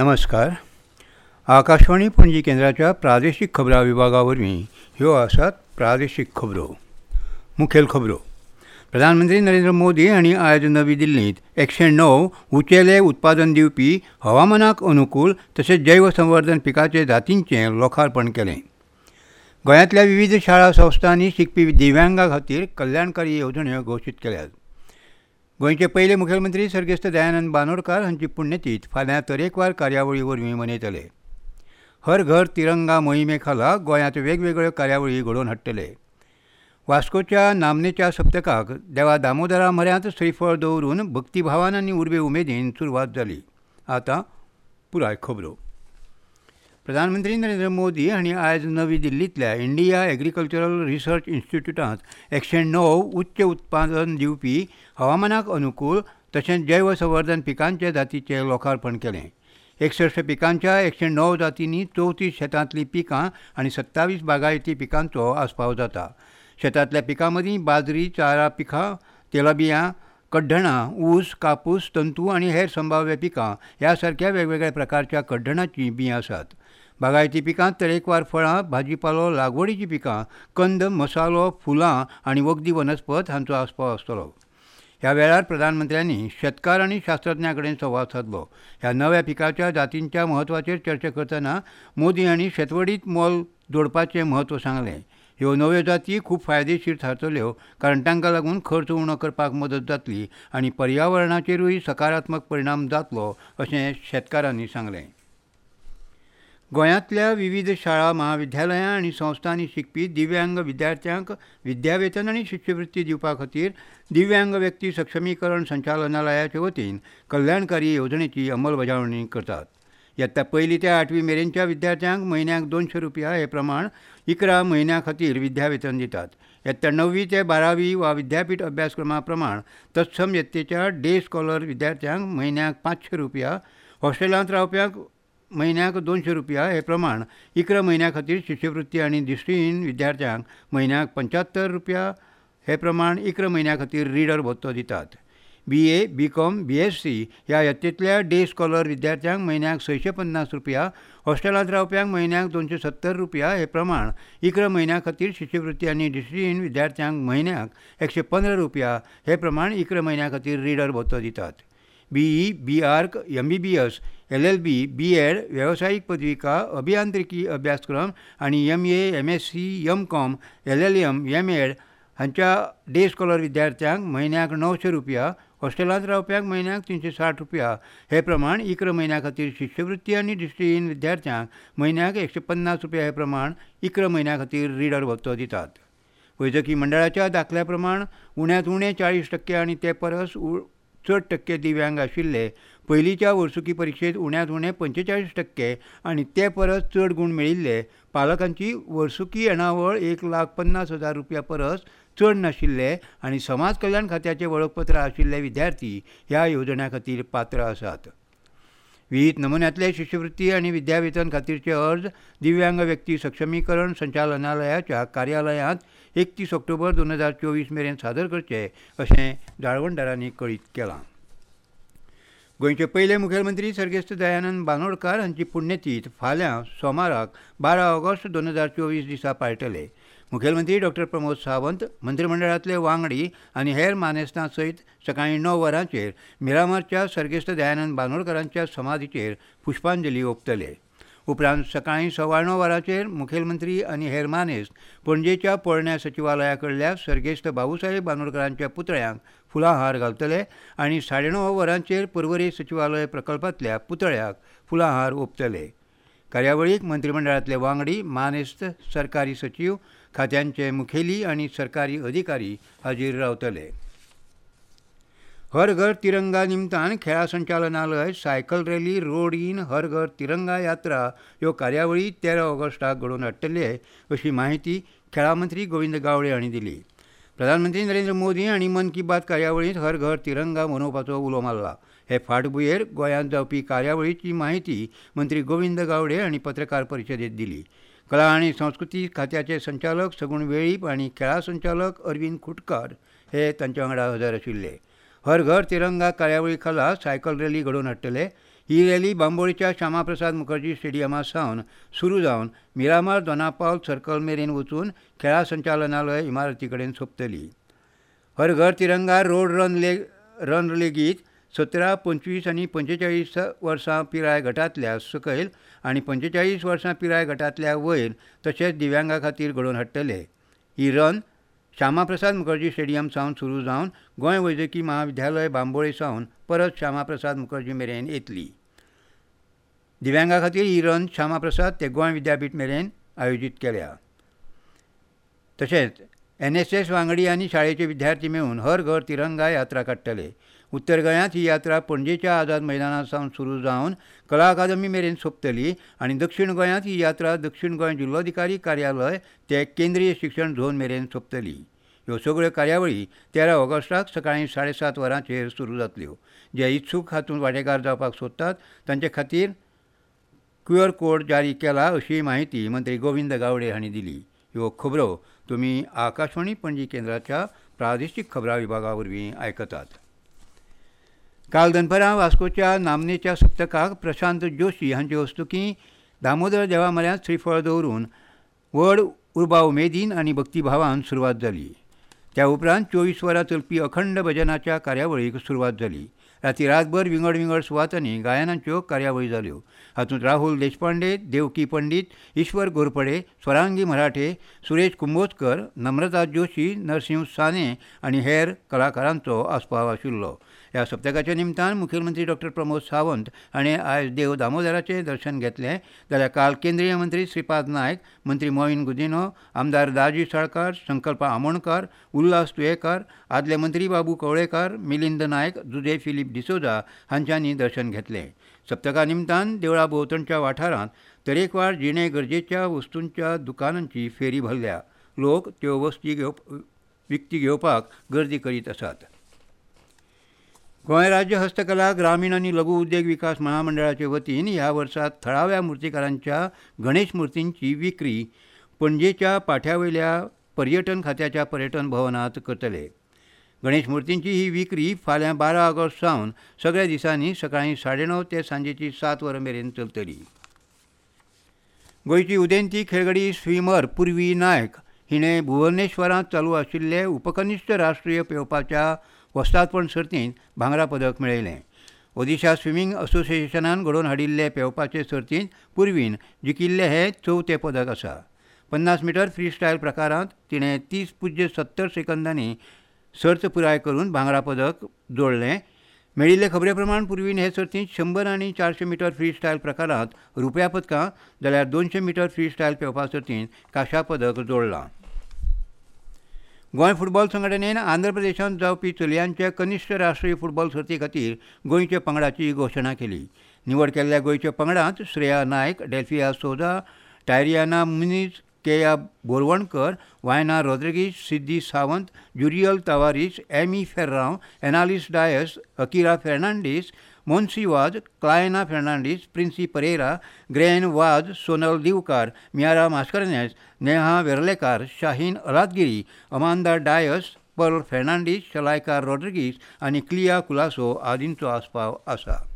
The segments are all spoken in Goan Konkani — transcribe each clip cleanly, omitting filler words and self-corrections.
नमस्कार. आकाशवाणी पणजी केंद्राच्या प्रादेशीक खबरां विभागा वरवीं ह्यो आसात प्रादेशीक खबरो. मुखेल खबरो. प्रधानमंत्री नरेंद्र मोदी हांणी आयज नवी दिल्लींत 109 उंचेले उत्पादन दिवपी हवामानाक अनुकूल तशेंच जैवसंवर्धन पिकाचे जातींचें लोकार्पण केलें. गोंयांतल्या विविध शाळा संस्थांनी शिकपी दिव्यांगा खातीर कल्याणकारी येवजण्यो घोशीत केल्यात. गोंयचे पयले मुखेलमंत्री सर्गेस्त दयानंद बांदोडकार हांची पुण्यतीथ फाल्यां तरेकवार कार्यावळी वरवीं मनयतले. हर घर तिरंगा मोहिमे खाला गोंयांत वेगवेगळ्यो कार्यावळी घडोवन हाडटले. वास्कोच्या नामनेच्या सप्तकाक देवा दामोदरा म्हऱ्यांत श्रीफळ दवरून भक्तिभावान आनी उर्बे उमेदीन सुरवात जाली. आतां पुराय खबरो. प्रधानमंत्री नरेंद्र मोदी हांणी आयज नवी दिल्लींतल्या इंडिया एग्रीकल्चरल रिसर्च इन्स्टिट्यूटांत 109 उच्च उत्पादन दिवपी हवामानाक अनुकूल तशेंच जैवसंवर्धन पिकांचे जातीचें लोकार्पण केलें. 61 पिकांच्या 109 जातींनी 34 शेतांतलीं पिकां आनी 27 बागायती पिकांचो आस्पाव जाता. शेतांतल्या पिकां मदीं बाजरी, चारा पिकां, तेलबियां, कड्डणां, ऊस, कापूस, तंतू आनी हेर संभाव्य पिकां ह्या सारक्या वेगवेगळ्या प्रकारच्या कड्डणाचीं बीं आसात. बागायती पिकांत तरेकवार फळां, भाजीपालो, लागवडीचीं पिकां, कंद, मसालो, फुलां आनी वखदी वनस्पत हांचो आस्पाव आसतलो. ह्या वेळार प्रधानमंत्र्यांनी शेतकार आनी शास्त्रज्ञां कडेन संवाद सादलो. ह्या नव्या पिकाच्या जातींच्या म्हत्वाचेर चर्चा करतना मोदी हांणी शेतवडींत मोल जोडपाचें म्हत्व सांगलें. ह्यो नव्यो जाती खूब फायदेशीर थारतल्यो कारण तांकां लागून खर्च उणो करपाक मदत जातली आनी पर्यावरणाचेरूय सकारात्मक परिणाम जातलो अशें शेतकारांनी सांगलें. गोंयांतल्या विविध शाळा, महाविद्यालयां आनी संस्थांनी शिकपी दिव्यांग विद्यार्थ्यांक विद्यावेतन आनी शिश्यवृत्ती दिवपा खातीर दिव्यांग व्यक्ती सक्षमीकरण संचालनालयाचे वतीन कल्याणकारी येवजणेची अंमलबजावणी करतात. यत्ता पयली ते 8वी मेरेनच्या विद्यार्थ्यांक म्हयन्याक 200 रुपया हे प्रमाण 11 म्हयन्यां खातीर विद्यावेतन दितात. यत्ता 9वी ते 12वी वा विद्यापीठ अभ्यासक्रमा प्रमाण तत्सम यत्तेच्या डे स्कॉलर विद्यार्थ्यांक म्हयन्याक 500 रुपया, हॉस्टेलांत रावप्यांक म्हयन्याक 200 रुपया हे प्रमाण 11 म्हयन्यां खातीर शिश्यवृत्ती आनी दृश्टीहीन विद्यार्थ्यांक म्हयन्याक 75 रुपया हे प्रमाण 11 म्हयन्यां खातीर रिडर भत्तो दितात. BA, BCom, BSc ह्या यत्तेंतल्या डे स्कॉलर विद्यार्थ्यांक म्हयन्याक 650 रुपया, हॉस्टेलांत रावप्यांक म्हयन्याक 270 रुपया हे प्रमाण 11 म्हयन्यां खातीर शिश्यवृत्ती आनी दृश्टीहीन विद्यार्थ्यांक म्हयन्याक 115 रुपया हे प्रमाण 11 म्हयन्यां खातीर रिडर भत्तो दितात. BE, BArch, MBBS, LLB, BEd, वेवसायीक पदविका, अभियांत्रिकी अभ्यासक्रम आनी MA, MSc, MCom, LLM, MEd हांच्या डे स्कॉलर विद्यार्थ्यांक म्हयन्याक 900 रुपया, हॉस्टेलांत रावप्यांक म्हयन्याक 360 रुपया हे प्रमाण 11 म्हयन्यां खातीर शिश्यवृत्ती आनी दृश्टीहीन विद्यार्थ्यांक म्हयन्याक 150 रुपया हे प्रमाण 11 म्हयन्यां खातीर रिडर भत्तो दितात. वैजकी मंडळाच्या दाखल्या प्रमाण उण्यांत उणें 40% आनी ते परस चड टक्के दिव्यांग आशिल्ले पयलींच्या वर्सुकी परिक्षेंत उण्यांत उणें 45% आनी ते परस चड गूण मेळिल्ले पालकांची वर्सुकी येणावळ 1,50,000 रुपया परस चड नाशिल्ले आनी समाज कल्याण खात्याचें वळखपत्र आशिल्ले विद्यार्थी ह्या येवजण्यां खातीर पात्र आसात. विहीत नमुन्यांतले शिश्यवृत्ती आनी विद्यावेतन खातीरचे अर्ज दिव्यांग व्यक्ती सक्षमीकरण संचालनालयाच्या कार्यालयांत 31 ऑक्टोबर 2024 मेरेन सादर करचे अशें जाळवणदारांनी कळीत केलां. गोंयचे पयले मुखेलमंत्री सर्गेस्त दयानंद बांदोडकार हांची पुण्यतीथ फाल्यां सोमाराक 12 ऑगस्ट 2024 दिसा पाळटले. मुखेलमंत्री डॉक्टर प्रमोद सावंत, मंत्रिमंडळांतले वांगडी आनी हेर मानेस्तां सयत सकाळीं 9 वरांचेर मिरामारच्या सर्गेस्त दयानंद बांदोडकारांच्या समाधीचेर पुष्पांजली ओंपतले. उपरांत सकाळीं 9:15 वरांचेर मुखेलमंत्री आनी हेर मानेस्त पणजेच्या पोरण्या सचिवालया कडल्या सर्गेस्त बाबूसाहेब बांदोडकरांच्या पुतळ्यांक फुलांहार घालतले आनी 9:30 वरांचेर पर्वरे सचिवालय प्रकल्पांतल्या पुतळ्याक फुलांहार ओंपतले. कार्यावळीक मंत्रिमंडळांतले वांगडी, मानेस्त, सरकारी सचीव, खात्यांचे मुखेली आनी सरकारी अधिकारी हाजीर रावतले. हर घर तिरंगा निमतान खेळां संचालनालय सायकल रॅली, रोड इन, हर घर तिरंगा यात्रा ह्यो कार्यावळी 13 ऑगस्टाक घडोवन हाडटले अशी माहिती खेळां मंत्री गोविंद गावडे हांणी दिली. प्रधानमंत्री नरेंद्र मोदी हांणी मन की बात कार्यावळींत हर घर तिरंगा मनोवपाचो उलो मारला. हे फाटभुंयेर गोंयांत जावपी कार्यावळीची माहिती मंत्री गोविंद गावडे हांणी पत्रकार परिशदेंत दिली. कला आनी संस्कृती खात्याचे संचालक सगुण वेळीप आनी खेळां संचालक अरविंद खुटकार हे तांच्या वांगडा हजर आशिल्ले. हर घर तिरंगा कार्यावळी खाला सायकल रॅली घडोवन हाडटले. ही रॅली बांबोळीच्या श्यामाप्रसाद मुखर्जी स्टेडियमा सावन सुरू जावन मिरामार दोनापावल सर्कल मेरेन वचून खेळां संचालनालय इमारती कडेन सोंपतली. हर घर तिरंगा रोड रन लेगीत 17, 25 आनी 45 वर्सां पिराय गटांतल्या सकयल आनी 45 वर्सां पिराय गटांतल्या वयर तशेंच दिव्यांगा खातीर घडोवन हाडटले. ही रन श्यामाप्रसाद मुखर्जी स्टेडियम सावन सुरू जावन गोंय वैजकी महाविद्यालय बांबोळे सावन परत श्यामाप्रसाद मुखर्जी मेरेन येतली. दिव्यांगा खातीर ही रन श्यामाप्रसाद ते गोंय विद्यापीठ मेरेन आयोजीत केल्या. तशेंच NSS वांगडी आनी शाळेचे विद्यार्थी मेळून हर घर तिरंगा यात्रा काडटले. उत्तर गोंयांत ही यात्रा पणजेच्या आझाद मैदाना सावन सुरू जावन कला अकादमी मेरेन सोंपतली आनी दक्षिण गोंयांत ही यात्रा दक्षिण गोंय जिल्लोधिकारी कार्यालय ते केंद्रीय शिक्षण झोन मेरेन सोंपतली. ह्यो सगळ्यो कार्यावळी 13 ऑगस्टाक सकाळीं 7:30 वरांचेर सुरू जातल्यो. जे इत्सूक हातूंत वांटेकार जावपाक सोदतात तांचे खातीर QR code जारी केला अशी म्हायती मंत्री गोविंद गावडे हांणी दिली. ह्यो खबरो तुमी आकाशवाणी पणजी केंद्राच्या प्रादेशीक खबरां विभागा वरवीं आयकतात. काल दनपरां वास्कोच्या नामनेच्या सप्तकाक प्रशांत जोशी हांचे हस्तुकीं दामोदर देवा म्हऱ्यांत श्रीफळ दवरून व्हड उर्बा उमेदीन आनी भक्तिभावान सुरवात जाली. त्या उपरांत 24 वरां चलपी अखंड भजनाच्या कार्यावळीक सुरवात जाली. राती रातभर विंगड विंगड सुवातांनी गायनांच्यो कार्यावळी जाल्यो. हातूंत राहुल देशपांडे, देवकी पंडीत, ईश्वर घोरपडे, स्वरांगी मराठे, सुरेश कुंभोजकर, नम्रता जोशी, नरसिंह साने आनी हेर कलाकारांचो आस्पाव आशिल्लो. ह्या सप्तकाच्या निमतान मुखेलमंत्री डॉक्टर प्रमोद सावंत हाणें आयज देव दामोदराचें दर्शन घेतलें. जाल्यार काल केंद्रीय मंत्री श्रीपाद नायक, मंत्री मोहीन गुदिन्हो, आमदार दाजी साळकार, संकल्प आमोणकार, उल्हास तुयेकार, आदले मंत्री बाबू कवळेकार, मिलिंद नायक, जुझे फिलीप डिसोजा हांच्यांनी दर्शन घेतलें. सप्तका निमतान देवळा भोंवतणच्या वाठारांत तरेकवार जिणे गरजेच्या वस्तूंच्या दुकानांची फेरी भरल्या. लोक त्यो वस्ती विकती घेवपाक गर्दी करीत आसात. गोंय राज्य हस्तकला ग्रामीण आनी लघु उद्देग विकास महामंडळाचे वतीन ह्या वर्सा थळाव्या मुर्तीकारांच्या गणेश मुर्तींची विक्री पणजेच्या पाठ्यावयल्या पर्यटन खात्याच्या पर्यटन भवनांत करतले. गणेश मुर्तींची ही विक्री फाल्यां 12 ऑगस्ट सावन सगळ्या दिसांनी सकाळीं 9:30 ते सांजेची 7 वरां मेरेन चलतली. गोंयची उदेंती खेळगडी स्विमर पूर्वी नायक हिणें भुवनेश्वरांत चालू आशिल्ले उपकनिश्ठ राष्ट्रीय पेंवपाच्या वस्तादपण सर्तींत भांगरा पदक मेळयलें. ओदिशा स्विमींग असोसिएशनान घडोवन हाडिल्ले पेंवपाचे सर्तींत पूर्वीन जिखिल्लें हें चवथें पदक आसा. 50 मिटर फ्री स्टायल प्रकारांत तिणें 30.70 सेकंदांनी सर्त पुराय करून भांगरा पदक जोडलें. मेळिल्ले खबरे प्रमाण पूर्वीन हे सर्तींत 100 आनी 400 मिटर फ्री स्टायल प्रकारांत रुप्या पदकां जाल्यार 200 मिटर फ्री स्टायल पेंवपा सर्तींत कांश्या पदक जोडलां. गोंय फुटबॉल संघटनेन आंध्र प्रदेशांत जावपी चलयांच्या कनिश्ठ राष्ट्रीय फुटबॉल सर्ती खातीर गोंयच्या पंगडाची घोशणा केली. निवड केल्ल्या गोंयच्या पंगडांत श्रेया नायक, डेल्फिया सोजा, टायरियाना मुनीज, केया Borwankar, वायना Rodrigues, Siddhi Sawant, Juriel Tavares, Amy Ferrao, Annalise Dias, Akira Fernandes, Monsi Vaz, Clayna Fernandes, Princy Pereira, Grain Vaz, Sonal Divkar, Miara Mascarenhas, Neha Verlekar, Shaheen Aladgiri, Amanda Dias, Pearl Fernandes, Shalaika Rodrigues आनी क्लिया कुलासो आदींचो आस्पाव आसा.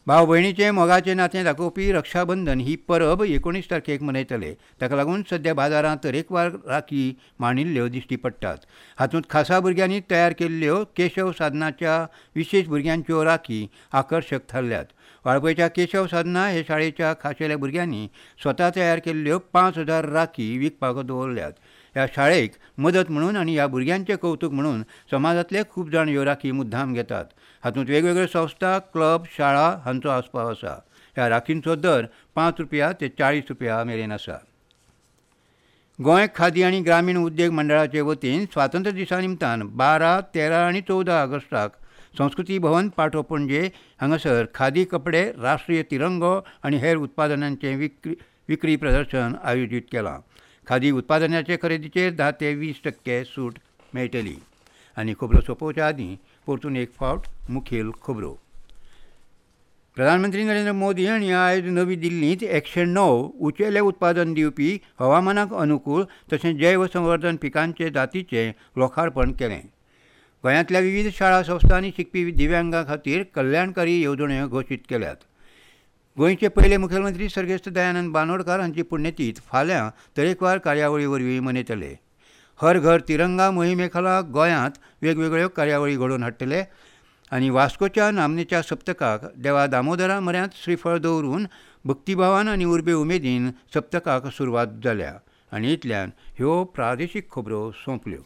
भाव भयणीचें मोगाचें नातें दाखोवपी रक्षाबंधन ही परब 19 तारखेक मनयतले. ताका लागून सद्या बाजारांत तरेकवार राखी मांडिल्ल्यो दिश्टी पडटात. हातूंत खासा भुरग्यांनी तयार केल्ल्यो केशव साधनाच्या विशेश भुरग्यांच्यो राखी आकर्शक थारल्यात. वाळपयच्या केशव साधना हे शाळेच्या खाशेल्या भुरग्यांनी स्वता तयार केल्ल्यो 5000 राखी विकपाक दवरल्यात. ह्या शाळेक मदत म्हणून आनी ह्या भुरग्यांचें कौतूक म्हणून समाजांतले खूब जाण ह्यो राखी मुद्दाम घेतात. हातूंत वेगवेगळ्यो संस्था, क्लब, शाळा हांचो आस्पाव आसा. ह्या राखींचो दर 5 रुपया ते 40 रुपया मेरेन आसा. गोंय खादी आनी ग्रामीण उद्देग मंडळाचे वतीन स्वातंत्र्य दिसा निमतान 12, 13 आनी 14 ऑगस्टाक संस्कृती भवन पाटो पणजे हांगासर खादी कपडे, राष्ट्रीय तिरंगो आनी हेर उत्पादनांचें विक्री प्रदर्शन आयोजीत केलां. खादी उत्पादनाचे खरेदीचेर 10 ते 20% सूट मेळटली. आनी खबरो सोंपोवच्या आदीं परतून एक फावट मुखेल खबरो. प्रधानमंत्री नरेंद्र मोदी हांणी आयज नवी दिल्लींत 109 उंचेलें उत्पादन दिवपी हवामानाक अनुकूल तशेंच जैव संवर्धन पिकांचे जातीचें लोकार्पण केलें. गोंयांतल्या विवीध शाळा संस्थांनी शिकपी दिव्यांगां खातीर कल्याणकारी येवजण्यो घोशीत केल्यात. गोंयचे पयले मुखेलमंत्री सर्गेस्त दयानंद बांदोडकार हांची पुण्यतीथ फाल्यां तरेकवार कार्यावळी वरवीं मनयतले. हर घर तिरंगा मोहिमे खाला गोंयांत वेगवेगळ्यो कार्यावळी घडोवन हाडटले आनी वास्कोच्या नामनेच्या सप्तकाक देवा दामोदरा म्हऱ्यांत श्रीफळ दवरून भक्तीभावान आनी उर्बे उमेदीन सप्तकाक सुरवात जाल्या. आनी इतल्यान ह्यो प्रादेशीक खबरो सोंपल्यो.